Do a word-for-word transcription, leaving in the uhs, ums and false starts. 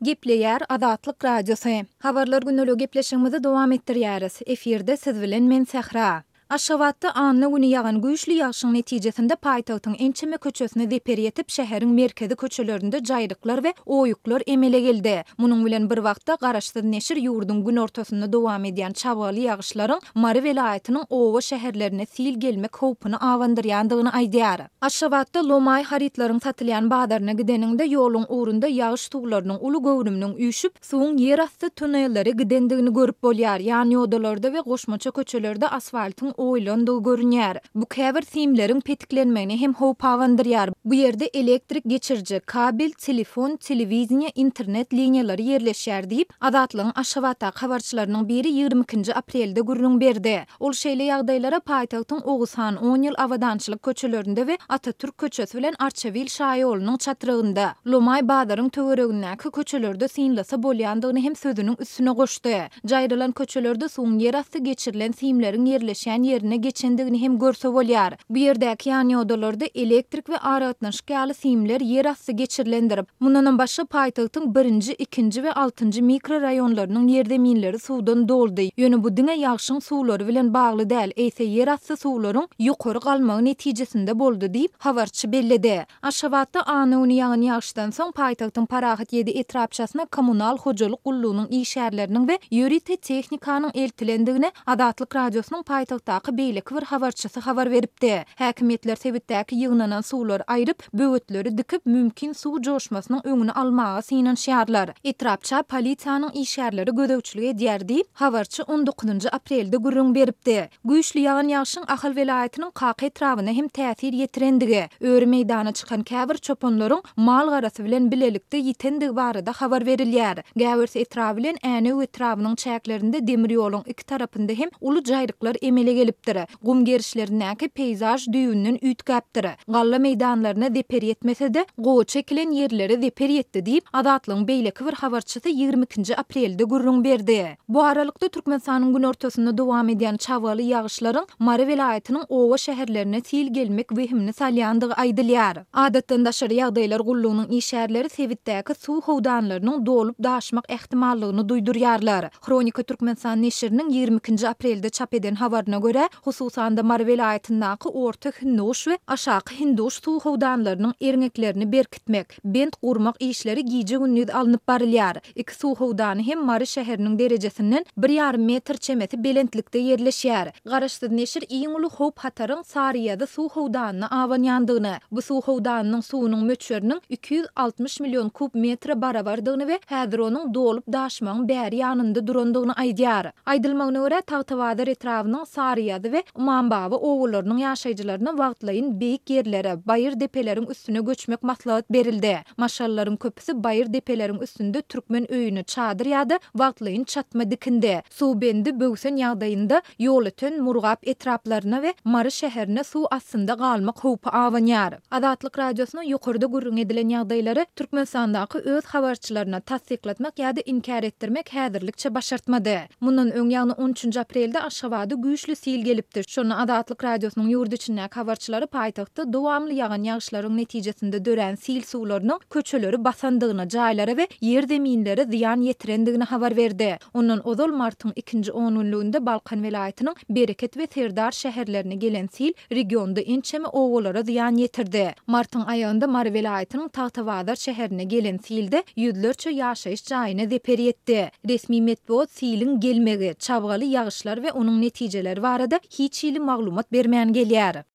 Gepleýär Azatlyk Radiosy. Habarlar gündeligi gepleşigimizi dowam etdirýäris. Efirde siz bilen men Sähra. Aşgabatda anna güni ýagan güýçli ýagşyň netijesinde paýtagtyň ençeme köçesine zeper ýetip, şäheriň merkezi köçelerinde jaýryklar we oýuklar emele geldi. Munuň bilen bir wagtda, garaşsyz neşir ýurduň günortasynda dowam edýän çabgaly ýagyşlaryň Mary welaýatynyň oba-şäherlerine sil gelmek howpuny abandyrýandygyny aýdýar. Aşgabatda lomaý harytlaryň satylýan bazaryna gideniňde, ýoluň ugrunda ýagyş suwlarynyň uly göwrüminiň üýşüp, suwuň ýerasty tunellere gidendigini görüp bolýar. Ýan ýodalarda we goşmaça köçelerde asfaltyň oýulandygy görünýär. Bu käbir simleriň petiklenmegine hem howp abandyrýar. Bu ýerde elektrik geçiriji, kabel, telefon, telewideniýe, internet liniýalary ýerleşýär diýip, Azatlygyň Aşgabatdaky habarçylarynyň biri ýigrimi ikinji aprelde gürrüň berdi. Ol şeýle ýagdaýlara paýtagtyň Oguzhan, On ýyl Abadançylyk köçelerinde we Atatürk köçesi bilen Arçabil şaýolunyň çatrygynda, Lomaý bazaryň töweregindäki köçelerde synlasa bolýandygyny hem sözüniň üstüne goşdy. Jaýrylan köçelerde suwuň ýerasty geçirilen simleriň ýerleşýän ýerine geçendigini hem görse bolýar. Bu ýerdäki ýanýodalarda elektrik we aragatnaşyk ýaly simler ýerasty geçirilendir. Mundanam başga paýtagtyň birinji, ikinji we altynjy mikroraýonlarynyň ýerzeminleri suwdan doldy. Ýöne bu diňe ýagşyň suwlary bilen bagly däl, eýse ýerasty suwlaryň ýokary galmagy netijesinde boldy diýip, habarçy belledi. Aşgabatda anna güni ýagan ýagyşdan soň paýtagtyň Parahat ýedi etrapçasyna kommunal hojalyk gullugynyň işgärleriniň we ýörite tehnikanyň eltilendigini Azatlyk Radiosynyň paýtagtdaky beýleki bir habarçysy habar beripdi. Häkimiýetler sebitdäki ýygnanan suwlary aýryp, böwetleri dikip, mümkin suw joşmasynyň öňüni almaga synanyşýarlar. Etrapça polisiýanyň işgärleri gözegçilik edýär diýip, habarçy on dokuzynjy aprelde gürrüň beripdi. Güýçli ýagan ýagşyň Ahal welaýatynyň Kaka etrabyna hem täsir ýetirendigi, öri meýdana çykan käbir çopanlaryň mal-garasy bilen bilelikde ýitendigi barada habar berilýär. Gäwers etraby bilen Änew etrabynyň çäklerinde demir ýoluň iki tarapynda hem uly jaýryklar emele gelipdir. Gum gerişlerindäki peýzaž düýbünden üýtgäpdir. Galla meýdanlaryna zeper ýetmese-de, gowaça ekilen ýerlere zeper ýetdi diýip, Azatlygyň beýleki bir habarçysy ýigrimi ikinji aprelde gürrüň berdi. Bu aralykda, Türkmenistanyň günortasynda dowam edýän çabgaly ýagyşlaryň Mary welaýatynyň oba-şäherlerine sil gelmek wehimini salýandygy aýdylýar. Adatdan daşary ýagdaýlar gullugynyň işgärleri sebitdäki suw howdanlarynyň dolup-daşmak ähtimallygyny duýdurýarlar. Hronika Türkmenistan neşiriniň ýigrimi ikinji aprelde çap eden habaryna görä, hususan-da Mary welaýatyndaky Orta Hindiguş we Aşaky Hindiguş suw howdanlarynyň erňeklerini berkitmek, bent gurmak işleri gije-gündiz alnyp barylýar. Iki suw howdany hem Mary şäheriniň derejesinden bir ýarym metr çemesi belentlikde ýerleşýär. Garaşsyz neşir iň uly howp-hataryň Saryýazy suw howdanyna abanýandygyny, bu suw howdanynyň suwunyň möçberiniň iki ýüz altmyş million kub metre barabardygyny we häzir onuň dolup-daşmagyň bäri ýanynda durandygyny aýdýar. Aýdylmagyna görä, Tagtabazar etrabynyň Saryýazy we Ymambaba obalarynyň ýaşaýjylaryna wagtlaýyn beýik ýerlere, baýyr depeleriň üstüne göçmek maslahat berildi. Maşgalalaryň köpüsi baýyr depeleriň üstünde türkmen öýüni, çadyr ýa-da wagtlaýyn çatma dikindi. Suw bendi böwsen ýagdaýynda Ýolöten, Murgap etraplaryna we Mary şäherine suw astynda galmak howpy abanýar. Azatlyk Radiosyna ýokarda gürrüň edilen ýagdaýlary Türkmenistandaky öz habarçylaryna tassyklatmak ýa-da inkär etdirmek häzirlikçe başartmady. Mundan öň, ýagny on üçünji aprelde Aşgabada güýçli sil gelipdi. Şonda Azatlyk Radiosynyň ýurt içindäki habarçylary paýtagtda dowamly ýagan ýagyşlaryň netijesinde dörän sil suwlarynyň köçeleri basandygyny, jaýlara we ýer-zeminlere zyýan ýetirendigini habar berdi. Ondan ozal martyň ikinji ongünlüginde Balkan welaýatynyň Bereket we Serdar şäherlerine gelen sil regionda ençeme obalara zyýan ýetirdi. Martyň aýagynda Mary welaýatynyň Tagtabazar şäherine gelen silde ýüzlerçe ýaşaýyş jaýyna zeper ýetdi. Resmi metbugat siliň gelmegi, çabgaly ýagyşlar we onuň netijeleri barada hiç hili maglumat bermän gelýär.